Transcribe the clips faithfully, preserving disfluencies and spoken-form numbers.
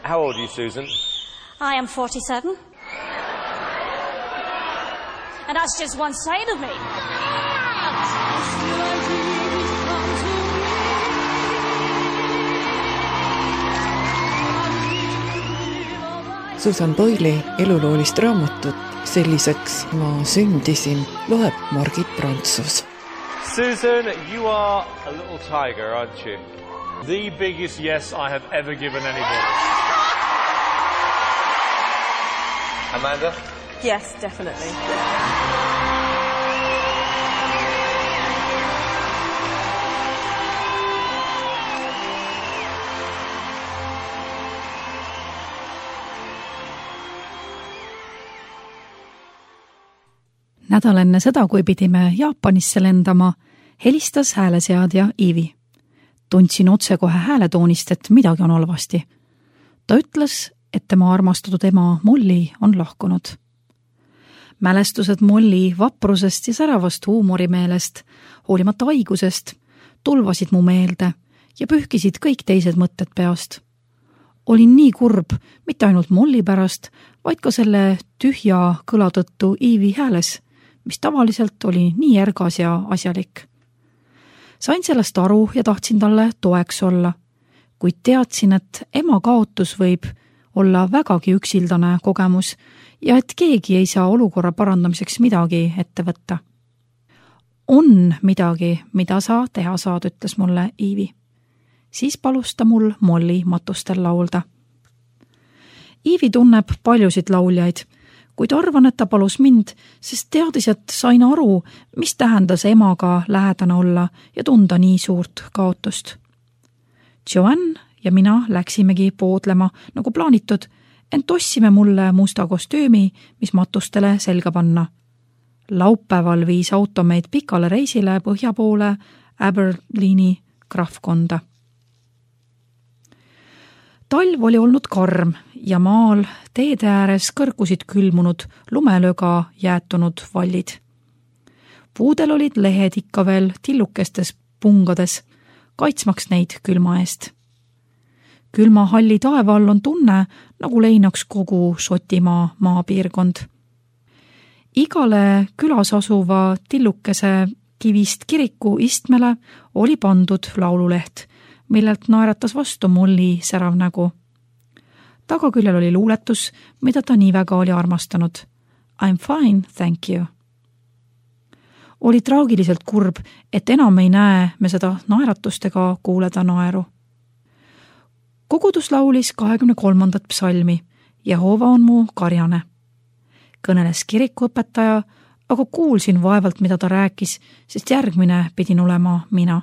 How old are you, Susan? I am forty-seven. And that's just one side of me. Susan Boyle'i eluloolist raamatut Selliseks ma sündisin loeb Margit Prantsus. Susan, you are a little tiger, aren't you? The biggest yes I have ever given anybody. Amanda? Yes, definitely. Nädal enne seda, kui pidime Jaapanisse lendama, helistas hääleseadja Iivi. Tundsin otsekohe hääletoonist, et midagi on halvasti. Ta ütles, et tema armastatud ema Molly on lahkunud. Mälestused Molly vaprusest ja säravast huumorimeelest, hoolimata haigusest, tulvasid mu meelde ja pühkisid kõik teised mõtted peast. Olin nii kurb, mitte ainult Molly pärast, vaid ka selle tühja kõla tõttu Iivi hääles, mis tavaliselt oli nii ergas ja asjalik. Sain sellest aru ja tahtsin talle toeks olla, kuid teadsin, et ema kaotus võib olla vägagi üksildane kogemus ja et keegi ei saa olukorra parandamiseks midagi ette võtta. On midagi, mida sa teha saad, ütles mulle Iivi. Siis palus ta mul Molly matustel laulda. Iivi tunneb paljusid lauljaid, kuid arvan, et ta palus mind, sest teadis, et sain aru, mis tähendas emaga lähedane olla ja tunda nii suurt kaotust. Joanne ja mina läksimegi poodlema nagu plaanitud, ent ossime mulle musta kostüümi, mis matustele selga panna. Laupäeval viis auto meid pikale reisile põhja poole Aberleeni krahvkonda. Talv oli olnud karm ja maal teede ääres kõrgusid külmunud lumelöga jäätunud vallid. Puudel olid lehed ikka veel tillukestes pungades, kaitsmaks neid külma eest. Külma halli taeva all on tunne, nagu leinaks kogu Šotimaa maapiirkond. Igale külas asuva tillukese kivist kiriku istmele oli pandud laululeht, millelt naeratas vastu Molly särav nägu. Tagaküljel oli luuletus, mida ta nii väga oli armastanud. I'm fine, thank you. Oli traagiliselt kurb, et enam ei näe me seda naeratust ega kuuleda naeru. Kogudus laulis kahekümne kolmandat psalmi Jehova on mu karjane. Kõneles kirikuõpetaja, aga kuulsin vaevalt, mida ta rääkis, sest järgmine pidin olema mina.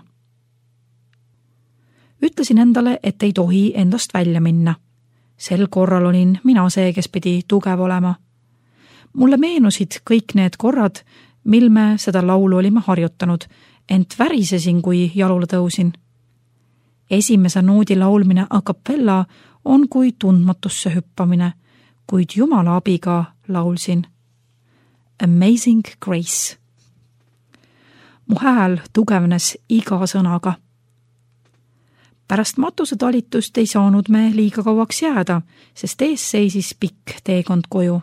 Ütlesin endale, et ei tohi endast välja minna. Sel korral olin mina see, kes pidi tugev olema. Mulle meenusid kõik need korrad, mil me seda laulu olime harjutanud, ent värisesin, kui jalule tõusin. Esimese noodi laulmine a cappella on kui tundmatusse hüppamine, kuid Jumala abiga laulsin. Amazing Grace. Mu hääl tugevnes iga sõnaga. Pärast matuse talitust ei saanud me liiga kauaks jääda, sest ees seisis pikk teekond koju.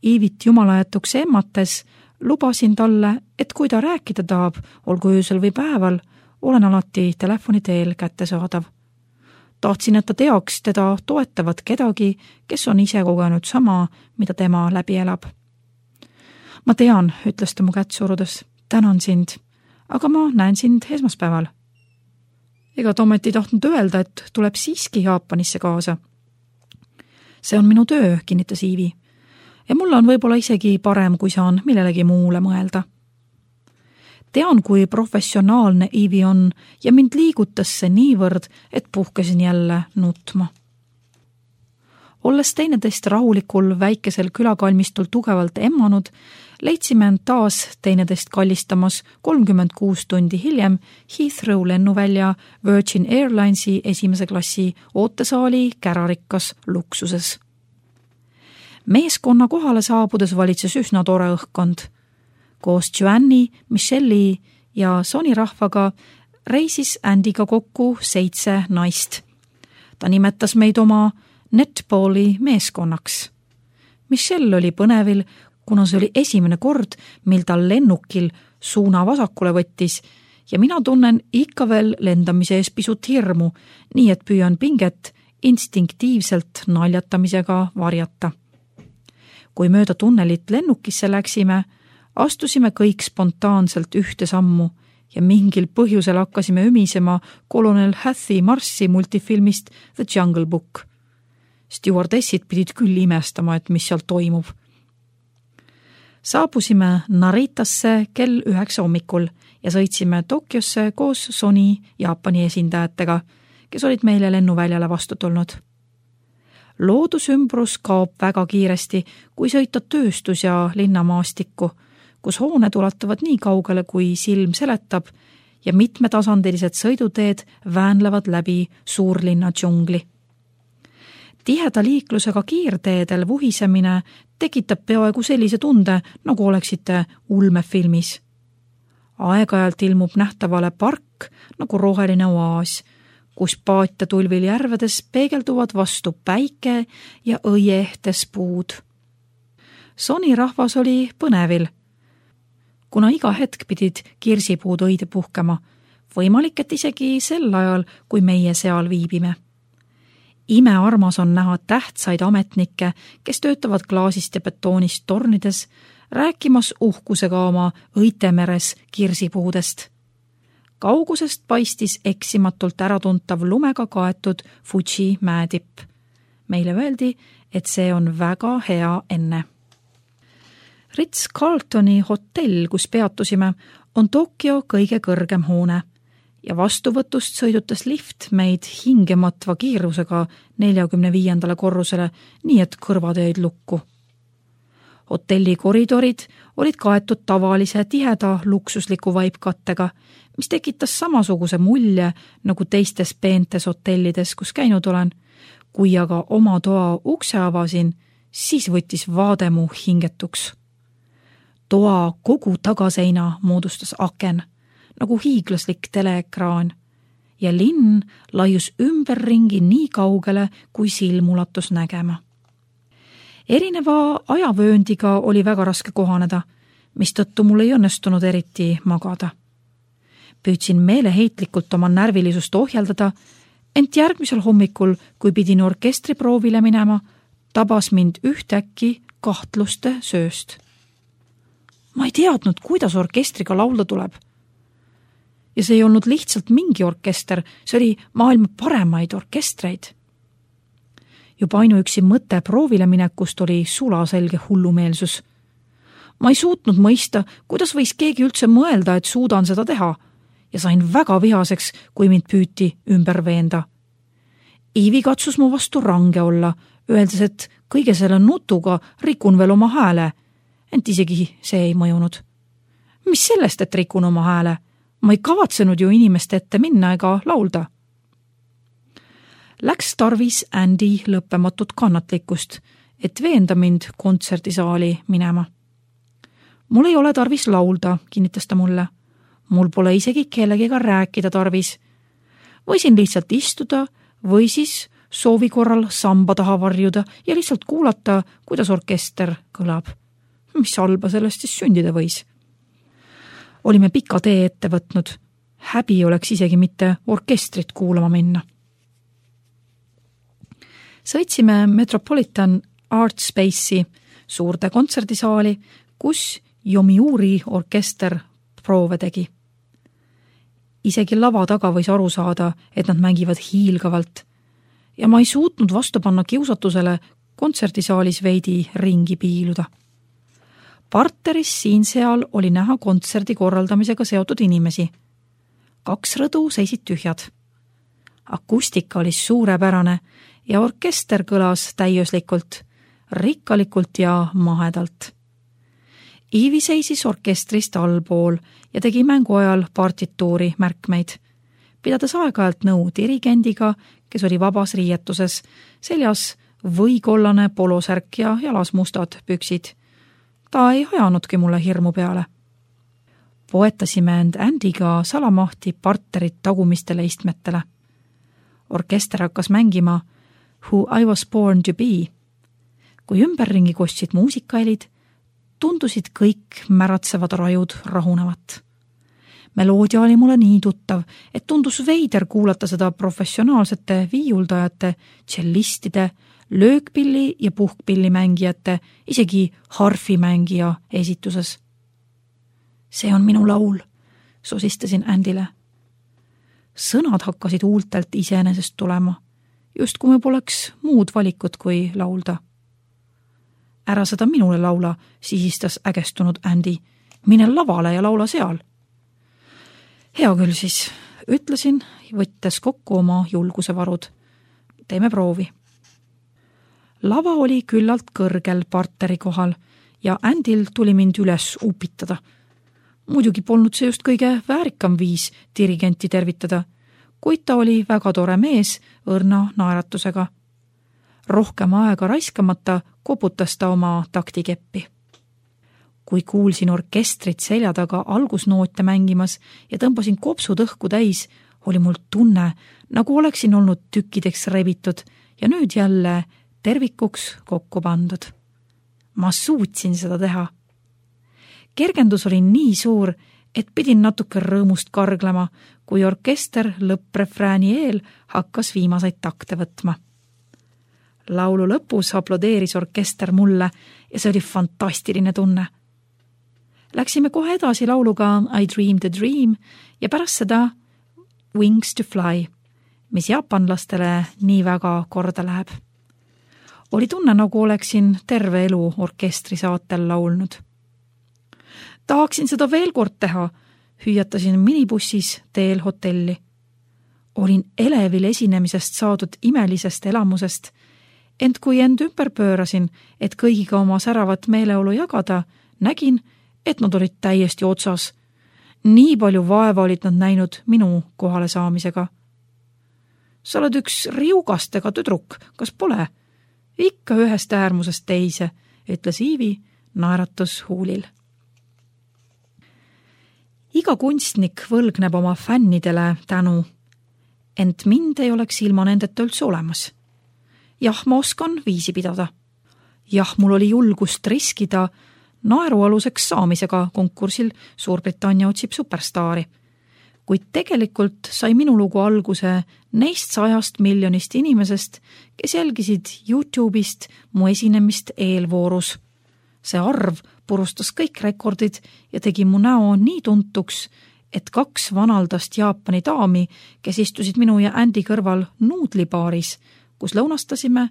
Iivit jumalajätuks emmates lubasin talle, et kui ta rääkida tahab, olgu öösel või päeval, olen alati telefoni teel kättesaadav. Tahtsin, et ta teaks teda toetavat kedagi, kes on ise kogenud sama, mida tema läbi elab. Ma tean, ütles ta mu kätt surudes, tänan sind, aga ma näen sind esmaspäeval. Ega Tomet ei tahtnud öelda, et tuleb siiski Jaapanisse kaasa. See on minu töö, kinnitas Iivi. Ja mulle on võib-olla isegi parem, kui saan millelegi muule mõelda. Tean, kui professionaalne Iivi on ja mind liigutas see niivõrd, et puhkesin jälle nutma. Olles teineteist rahulikul väikesel külakalmistul tugevalt emmanud, leidsime end taas teineteist kallistamas kolmkümmend kuus tundi hiljem Heathrow lennuvälja Virgin Airlinesi esimese klassi ootesaali kärarikkas luksuses. Meeskonna kohale saabudes valitses üsna tore õhkkond. Koos Joanne'i, Michelle'i ja Sony rahvaga reisis Andyga kokku seitse naist. Ta nimetas meid oma netballi meeskonnaks. Michelle oli põnevil, kuna see oli esimene kord, mil tal lennukil suuna vasakule võttis ja mina tunnen ikka veel lendamise ees pisut hirmu, nii et püüan pinget instinktiivselt naljatamisega varjata. Kui mööda tunnelit lennukisse läksime, astusime kõik spontaanselt ühte sammu ja mingil põhjusel hakkasime ümisema kolonel Hathy Marssi multifilmist The Jungle Book. Stewardessid pidid küll imestama, et mis seal toimub. Saabusime Naritasse kell üheksa hommikul ja sõitsime Tokyosse koos Sony Jaapani esindajatega, kes olid meile lennuväljale vastu tulnud. Loodusümbrus kaob väga kiiresti, kui sõita tööstus- ja linnamaastikku, kus hooned ulatuvad nii kaugele, kui silm seletab ja mitmetasandilised sõiduteed väänlevad läbi suurlinna džungli. Tiheda liiklusega kiirteedel vuhisemine tekitab peaaegu sellise tunde, nagu oleksite ulmefilmis. Aeg-ajalt ilmub nähtavale park nagu roheline oaas, kus paatjatulvil järvedes peegelduvad vastu päike ja õiehtes puud. Sony rahvas oli põnevil, kuna iga hetk pidid kirsipuud õide puhkema, võimalik, et isegi sel ajal, kui meie seal viibime. Imearmas on näha tähtsaid ametnikke, kes töötavad klaasist ja betoonist tornides, rääkimas uhkusega oma õitemeres kirsipuudest. Kaugusest paistis eksimatult äratuntav lumega kaetud Fuji mäetipp. Meile öeldi, et see on väga hea enne. Ritz-Carltoni hotell, kus peatusime, on Tokyo kõige kõrgem hoone ja vastuvõtust sõidutas lift meid hingematva kiirusega neljakümne viiendale korrusele, nii et kõrvad jäid lukku. Hotelli koridorid olid kaetud tavalise tiheda luksusliku vaipkattega, mis tekitas samasuguse mulje nagu teistes peentes hotellides, kus käinud olen. Kui aga oma toa ukse avasin, siis võttis vaade mu hingetuks. Toa kogu tagaseina moodustas aken, nagu hiiglaslik teleekraan, ja linn laius ümberringi nii kaugele, kui silm ulatus nägema. Erineva ajavööndiga oli väga raske kohaneda, mistõttu mul ei õnnestunud eriti magada. Püüdsin meeleheitlikult oma närvilisust ohjeldada, ent järgmisel hommikul, kui pidin orkestriproovile minema, tabas mind ühtäkki kahtluste sööst. Ma ei teadnud, kuidas orkestriga laulda tuleb. Ja see ei olnud lihtsalt mingi orkester, see oli maailma paremaid orkestreid. Juba ainuüksi mõte proovile minekust oli sulaselge hullumeelsus. Ma ei suutnud mõista, kuidas võis keegi üldse mõelda, et suudan seda teha, ja sain väga vihaseks, kui mind püüti ümber veenda. Iivi katsus mu vastu range olla, öeldes, et kõige selle nutuga rikun veel oma hääle, ent isegi see ei mõjunud. Mis sellest, et rikun oma hääle? Ma ei kavatsenud ju inimeste ette minna ega laulda. Läks tarvis Andy lõppematut kannatlikkust, et veenda mind kontserdisaali minema. Mul ei ole tarvis laulda, kinnitas ta mulle. Mul pole isegi kellegiga rääkida tarvis. Võisin lihtsalt istuda või siis soovi korral samba taha varjuda ja lihtsalt kuulata, kuidas orkester kõlab. Mis halba sellest siis sündida võis? Olime pika tee ette võtnud. Häbi oleks isegi mitte orkestrit kuulama minna. Sõitsime Metropolitan Art Space'i suurde kontserdisaali, kus Yomiuri orkester proove tegi. Isegi lava taga võis aru saada, et nad mängivad hiilgavalt ja ma ei suutnud vastu panna kiusatusele kontserdisaalis veidi ringi piiluda. Parteris siin-seal oli näha kontserdi korraldamisega seotud inimesi. Kaks rõdu seisid tühjad. Akustika oli suurepärane ja orkester kõlas täiuslikult, rikkalikult ja mahedalt. Iivi seisis orkestrist allpool ja tegi mängu ajal partituuri märkmeid, pidades aeg-ajalt nõu dirigendiga, kes oli vabas riietuses, seljas võikollane polosärk ja jalas mustad püksid. Ta ei ajanudki mulle hirmu peale. Poetasime end Andyga salamahti partterit tagumistele istmetele. orkester hakkas mängima Who I was born to be. Kui ümberringi kostsid muusikahelid, tundusid kõik märatsevad rajud rahunevat. Meloodia oli mulle nii tuttav, et tundus veider kuulata seda professionaalsete viiuldajate, tšellistide, löökpilli ja puhkpilli mängijate, isegi harfimängija esituses. See on minu laul, sosistasin Andile. Sõnad hakkasid huultelt iseenesest tulema, just kui me poleks muud valikut kui laulda. Ära seda minule laula, sihistas ägestunud Andy. Mine lavale ja laula seal. Hea küll siis, ütlesin, võttes kokku oma julguse varud. Teeme proovi. Lava oli küllalt kõrgel parteri kohal ja Andil tuli mind üles upitada. Muidugi polnud see just kõige väärikam viis dirigenti tervitada, kuid ta oli väga tore mees õrna naeratusega. Rohkem aega raiskamata koputas ta oma taktikeppi. Kui kuulsin orkestrit selja taga algusnoote mängimas ja tõmbasin kopsud õhku täis, oli mul tunne, nagu oleksin olnud tükkideks rebitud ja nüüd jälle tervikuks kokku pandud. Ma suutsin seda teha. Kergendus oli nii suur, et pidin natuke rõõmust karglema, kui orkester lõpprefrääni eel hakkas viimaseid takte võtma. Laulu lõpus aplodeeris orkester mulle ja see oli fantastiline tunne. Läksime kohe edasi lauluga I Dream the Dream ja pärast seda Wings to Fly, mis jaapanlastele nii väga korda läheb. Oli tunne, nagu oleksin terve elu orkestri saatel laulnud. Tahaksin seda veel kord teha, hüüatasin minibussis teel hotelli. Olin elevil esinemisest saadud imelisest elamusest, ent kui end ümber pöörasin, et kõigiga oma säravat meeleolu jagada, nägin, et nad olid täiesti otsas. Nii palju vaeva olid nad näinud minu kohale saamisega. Sa oled üks riugastega tüdruk, kas pole? Ikka ühest äärmusest teise, ütles Iivi naeratus huulil. Iga kunstnik võlgneb oma fännidele tänu, ent mind ei oleks ilma nendeta üldse olemas. Jah, ma oskan viisi pidada. Jah, mul oli julgust riskida naerualuseks saamisega konkursil Suurbritannia otsib superstaari. Kuid tegelikult sai minu lugu alguse neist sajast miljonist inimesest, kes jälgisid YouTube'ist mu esinemist eelvoorus. See arv purustas kõik rekordid ja tegi mu näo nii tuntuks, et kaks vanaldast Jaapani daami, kes istusid minu ja Andy kõrval nuudlibaaris, kus lõunastasime,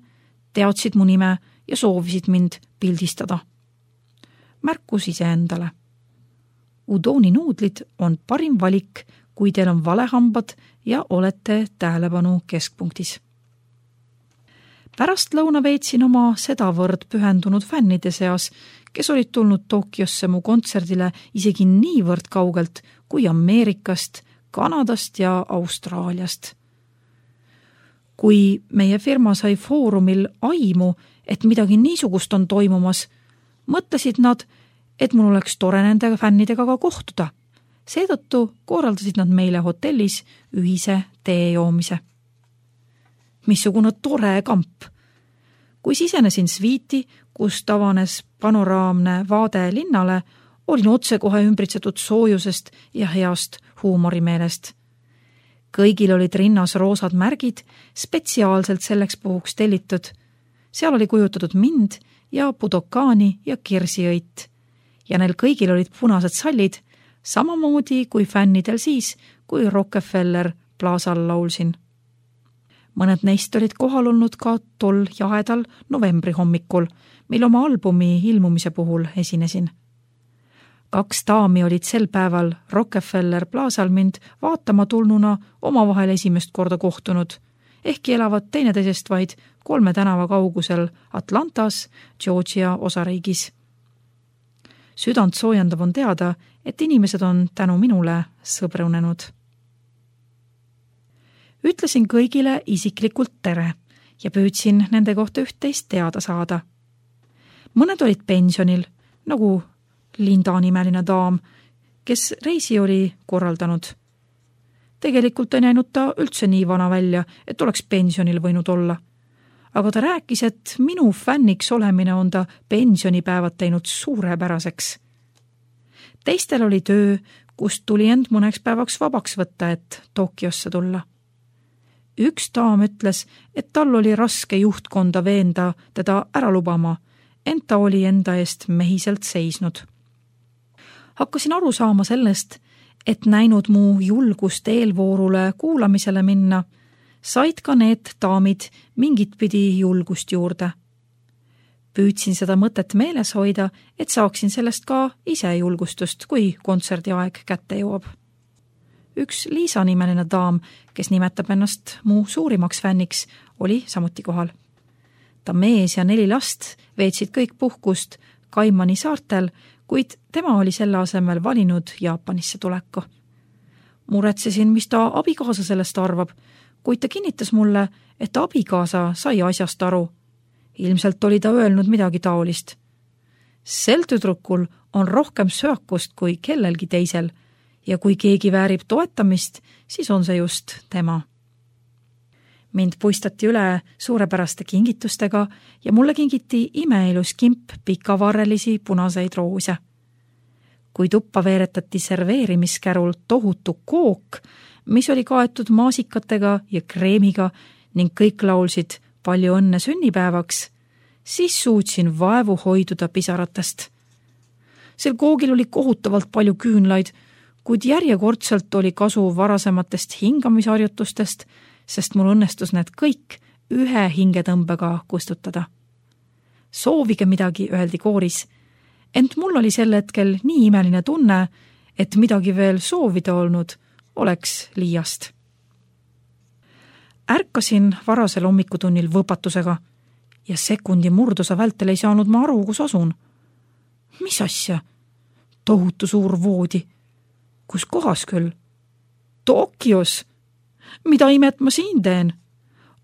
teadsid mu nime ja soovisid mind pildistada. Märkus ise endale. Udoni nuudlid on parim valik, kui teil on valehambad ja olete tähelepanu keskpunktis. Pärast lõuna veetsin oma sedavõrd pühendunud fännide seas, kes olid tulnud Tokyosse mu kontserdile isegi niivõrd kaugelt kui Ameerikast, Kanadast ja Austraaliast. Kui meie firma sai foorumil aimu, et midagi niisugust on toimumas, mõtlesid nad, et mul oleks tore nende fännidega ka kohtuda. Seetõttu korraldasid nad meile hotellis ühise tee joomise. Missugune tore kamp! Kui sisenesin sviiti, kus tavanes panoraamne vaade linnale, olin otsekohe ümbritsetud soojusest ja heast huumorimeelest. Kõigil olid rinnas roosad märgid, spetsiaalselt selleks puhuks tellitud. Seal oli kujutatud mind ja Budokaani ja kirsiõit. Ja neil kõigil olid punased sallid, samamoodi kui fännidel siis, kui Rockefeller plaasal laulsin. Mõned neist olid kohal olnud ka tol jahedal novembri hommikul, mil oma albumi ilmumise puhul esinesin. Kaks daami olid sel päeval Rockefeller plaasal mind vaatama tulnuna omavahel esimest korda kohtunud, ehkki elavad teineteisest vaid kolme tänava kaugusel Atlantas, Georgia osariigis. Südant soojendav on teada, et inimesed on tänu minule sõbrunenud. Ütlesin kõigile isiklikult tere ja püüdsin nende kohta üht-teist teada saada. Mõned olid pensionil, nagu Linda nimeline daam, kes reisi oli korraldanud. Tegelikult ei näinud ta üldse nii vana välja, et oleks pensionil võinud olla. Aga ta rääkis, et minu fänniks olemine on ta pensionipäevad teinud suurepäraseks. Teistel oli töö, kust tuli end mõneks päevaks vabaks võtta, et Tokyosse tulla. Üks daam ütles, et tal oli raske juhtkonda veenda teda ära lubama, ent ta oli enda eest mehiselt seisnud. Hakkasin aru saama sellest, et näinud mu julgust eelvoorule kuulamisele minna, said ka need daamid mingit pidi julgust juurde. Püüdsin seda mõtet meeles hoida, et saaksin sellest ka ise julgustust, kui kontserdi aeg kätte jõuab. Üks Liisa nimeline daam, kes nimetab ennast mu suurimaks fänniks, oli samuti kohal. Ta mees ja neli last veetsid kõik puhkust Kaimani saartel, kuid tema oli selle asemel valinud Jaapanisse tuleku. Muretsesin, mis ta abikaasa sellest arvab, kuid ta kinnitas mulle, et abikaasa sai asjast aru. Ilmselt oli ta öelnud midagi taolist. Sel tüdrukul on rohkem söakust kui kellelgi teisel ja kui keegi väärib toetamist, siis on see just tema. Mind puistati üle suurepäraste kingitustega ja mulle kingiti imeilus kimp pikavarrelisi punaseid roose. Kui tuppa veeretati serveerimiskärul tohutu kook, mis oli kaetud maasikatega ja kreemiga ning kõik laulsid palju õnne sünnipäevaks, siis suutsin vaevu hoiduda pisaratest. Sel koogil oli kohutavalt palju küünlaid, kuid järjekordselt oli kasu varasematest hingamisharjutustest, sest mul õnnestus need kõik ühe hingetõmbega kustutada. Soovige midagi, öeldi kooris, ent mul oli sel hetkel nii imeline tunne, et midagi veel soovida olnud oleks liiast. Ärkasin varasel hommikutunnil võpatusega ja sekundi murdosa vältel ei saanud ma aru, kus asun. Mis asja? Tohutu suur voodi. Kus kohas küll? Tokyos. Mida imet ma siin teen?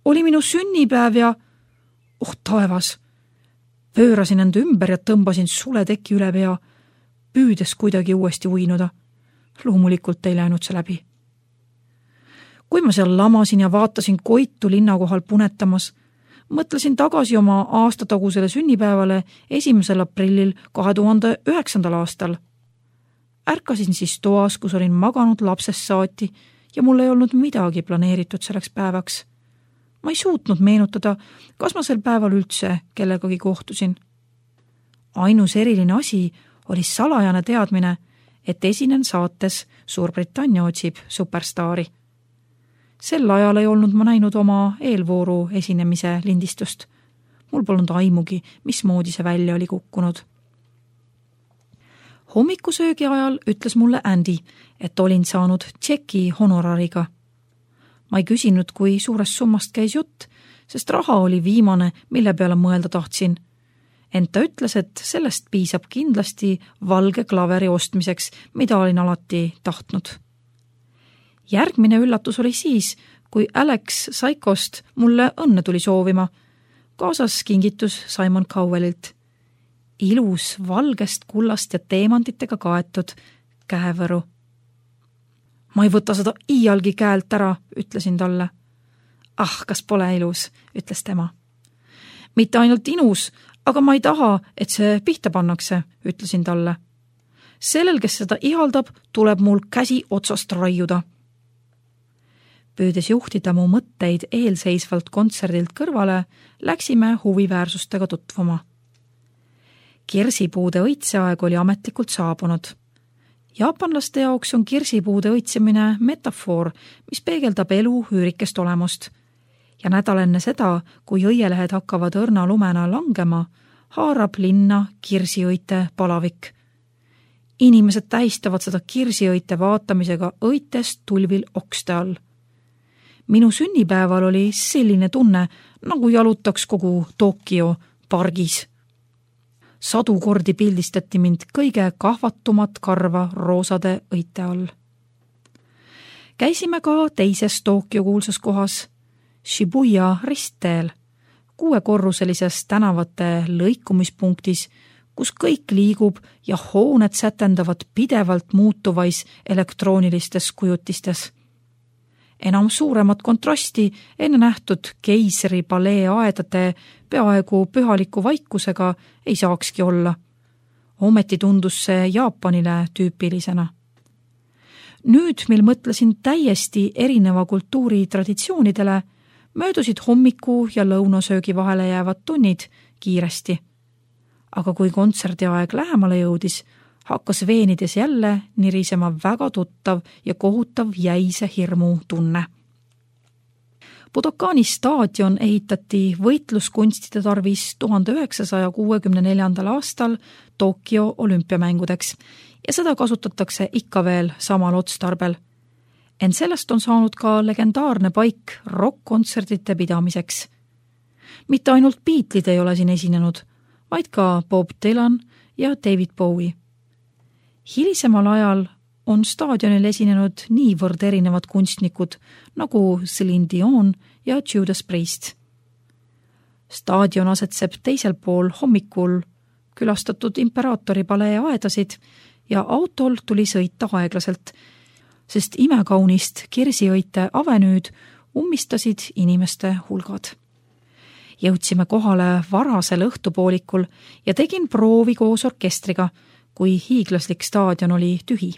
Oli minu sünnipäev ja... Oh taevas! Pöörasin end ümber ja tõmbasin suleteki üle pea, püüdes kuidagi uuesti uinuda. Loomulikult ei läinud see läbi. Kui ma seal lamasin ja vaatasin koitu linna kohal punetamas, mõtlesin tagasi oma aastatagusele sünnipäevale esimesel aprillil kahe tuhande üheksandal aastal. Ärkasin siis toas, kus olin maganud lapsest saati ja mul ei olnud midagi planeeritud selleks päevaks. Ma ei suutnud meenutada, kas ma sel päeval üldse kellegagi kohtusin. Ainus eriline asi oli salajane teadmine, et esinen saates Suurbritannia otsib superstaari. Sel ajal ei olnud ma näinud oma eelvooru esinemise lindistust. Mul polnud aimugi, mismoodi see välja oli kukkunud. Hommikusöögi ajal ütles mulle Andy, et olin saanud tšeki honorariga. Ma ei küsinud, kui suurest summast käis jutt, sest raha oli viimane, mille peale mõelda tahtsin. Ent ta ütles, et sellest piisab kindlasti valge klaveri ostmiseks, mida olin alati tahtnud. Järgmine üllatus oli siis, kui Alex Saikost mulle õnne tuli soovima. Kaasas kingitus Simon Cowellilt. Ilus valgest kullast ja teemantitega kaetud käevõru. Ma ei võta seda iialgi käelt ära, ütlesin talle. Ah, kas pole ilus, ütles tema. Mitte ainult inus, aga ma ei taha, et see pihta pannakse, ütlesin talle. Sellel, kes seda ihaldab, tuleb mul käsi otsast raiuda. Püüdes juhtida mu mõtteid eelseisvalt kontserdilt kõrvale, läksime huviväärsustega tutvuma. Kirsipuude õitseaeg oli ametlikult saabunud. Jaapanlaste jaoks on kirsipuude õitsemine metafoor, mis peegeldab elu üürikest olemust. Ja nädal enne seda, kui õielehed hakkavad õrna lumena langema, haarab linna kirsiõite palavik. Inimesed tähistavad seda kirsiõite vaatamisega õitest tulvil okste all. Minu sünnipäeval oli selline tunne, nagu jalutaks kogu Tokyo pargis. Sadu kordi pildistati mind kõige kahvatumat karva roosade õite all. Käisime ka teises Tokyo kuulsas kohas, Shibuya ristteel, kuuekorruselises tänavate lõikumispunktis, kus kõik liigub ja hooned sätendavad pidevalt muutuvais elektroonilistes kujutistes. Enam suuremat kontrasti enne nähtud keisri palee aedade peaaegu pühaliku vaikusega ei saakski olla. Ometi tundus see Jaapanile tüüpilisena. Nüüd, mil mõtlesin täiesti erineva kultuuri traditsioonidele, möödusid hommiku ja lõunasöögi vahele jäävad tunnid kiiresti. Aga kui kontserdi aeg lähemale jõudis, hakkas veenides jälle nirisema väga tuttav ja kohutav jäise hirmu tunne. Budokani staadion ehitati võitluskunstide tarvis tuhande üheksasaja kuuekümne neljandal aastal Tokyo olümpiamängudeks ja seda kasutatakse ikka veel samal otstarbel. Ent sellest on saanud ka legendaarne paik rock-kontserdite pidamiseks. Mitte ainult Beatles'id ei ole siin esinenud, vaid ka Bob Dylan ja David Bowie. Hilisemal ajal on staadionil esinenud niivõrd erinevad kunstnikud nagu Celine Dion ja Judas Priest. Staadion asetseb teisel pool hommikul külastatud imperaatori palee aedasid ja autol tuli sõita aeglaselt, sest imekaunist Kirsiõite avenüüd ummistasid inimeste hulgad. Jõudsime kohale varasel õhtupoolikul ja tegin proovi koos orkestriga, kui hiiglaslik staadion oli tühi.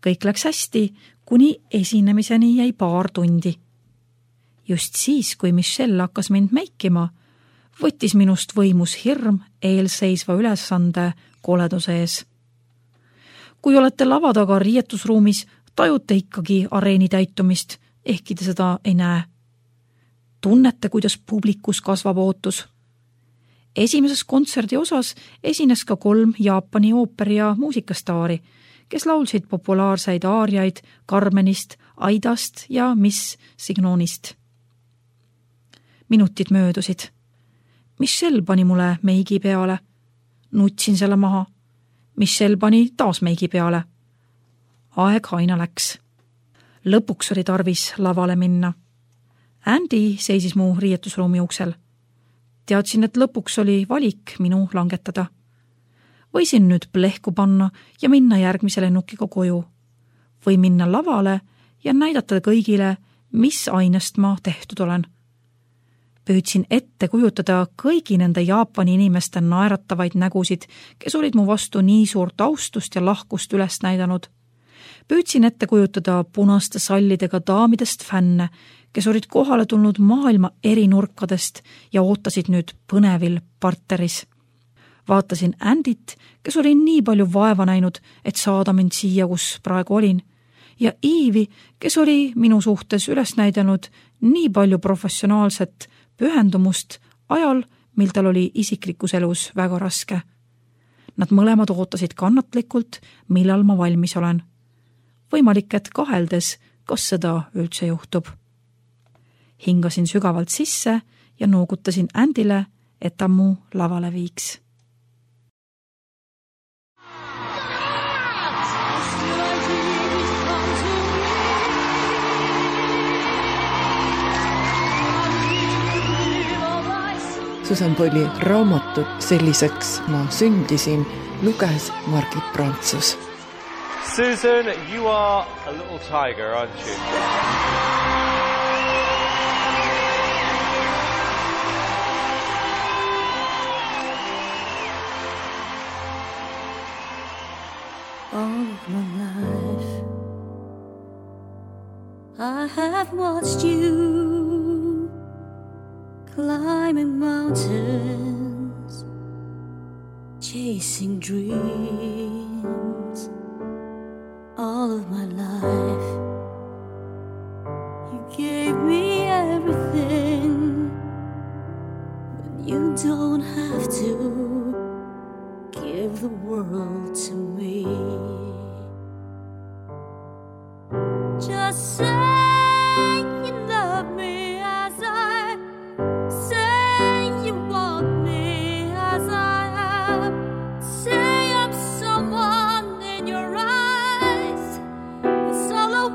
Kõik läks hästi, kuni esinemiseni jäi paar tundi. Just siis, kui Michelle hakkas mind meikima, võttis minust võimus hirm eelseisva ülesande koleduse ees. Kui olete lava taga riietusruumis, tajute ikkagi areeni täitumist, ehkki te seda ei näe. Tunnete, kuidas publikus kasvab ootus. Esimeses kontserdi osas esines ka kolm Jaapani ooperi- ja muusikastaari, kes laulsid populaarseid aariaid Carmenist, Aidast ja Miss Signonist. Minutid möödusid. Michelle pani mulle meigi peale. Nutsin selle maha. Michelle pani taas meigi peale. Aeg aina läks. Lõpuks oli tarvis lavale minna. Andy seisis mu riietusruumi uksel. Teadsin, et lõpuks oli valik minu langetada. Võisin nüüd plehku panna ja minna järgmise lennukiga koju. Või minna lavale ja näidata kõigile, mis ainest ma tehtud olen. Püüdsin ette kujutada kõigi nende Jaapani inimeste naeratavaid nägusid, kes olid mu vastu nii suurt austust ja lahkust üles näidanud. Püüdsin ette kujutada punaste sallidega daamidest fänne, kes olid kohale tulnud maailma eri nurkadest ja ootasid nüüd põnevil parteris. Vaatasin Andit, kes oli nii palju vaeva näinud, et saada mind siia, kus praegu olin, ja Eevi, kes oli minu suhtes üles näidanud nii palju professionaalset pühendumust ajal, mil tal oli isiklikus elus väga raske. Nad mõlemad ootasid kannatlikult, millal ma valmis olen. Võimalik, et kaheldes, kas seda üldse juhtub. Hingasin sügavalt sisse ja noogutasin Andile, et ta mu lavale viiks. Susan Boyle'i raamatut Selliseks ma sündisin luges Margit Prantsus. Susan, you are a little tiger, aren't you? All of my life I have watched you climbing mountains, chasing dreams. All of my life you gave me everything, but you don't have to give the world to me. Just say you love me as I say you want me as I am. Say I'm someone in your eyes. It's all I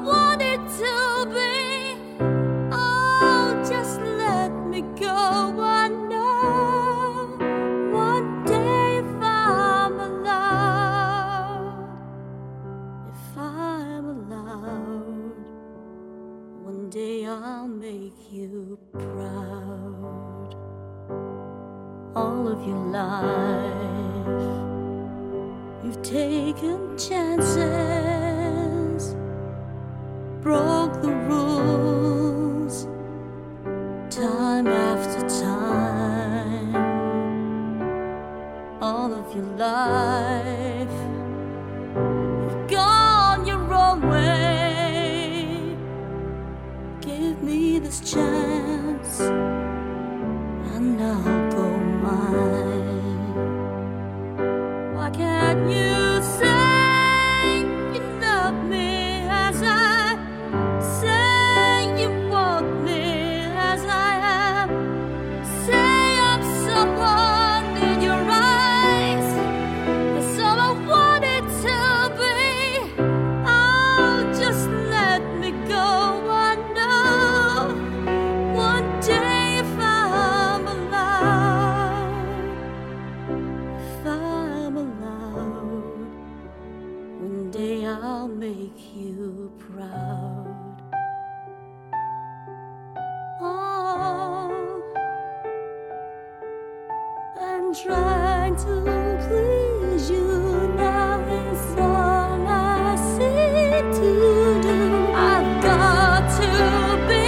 all of your life. You've taken chances, broke the rules, time after time. All of your life, you've gone your own way. Give me this chance, and I'll go mine. Why can't you say you love me as I say you want me as I am? Say I'm someone in your eyes, the someone I wanted to be. Oh, just let me go. I know one day if I'm allowed, if I'm allowed, one day I'll make you proud. Oh, I'm trying to please you now, it's all I see to do. I've got to be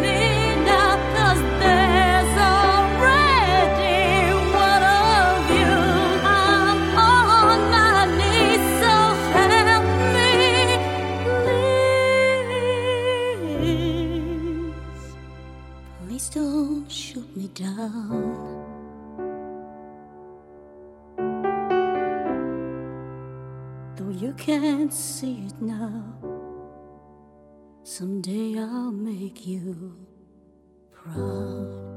me now, 'cause there's already one of you. I'm on my knees, so help me, please. Please don't shoot me down. Though you can't see it now, someday I'll make you proud.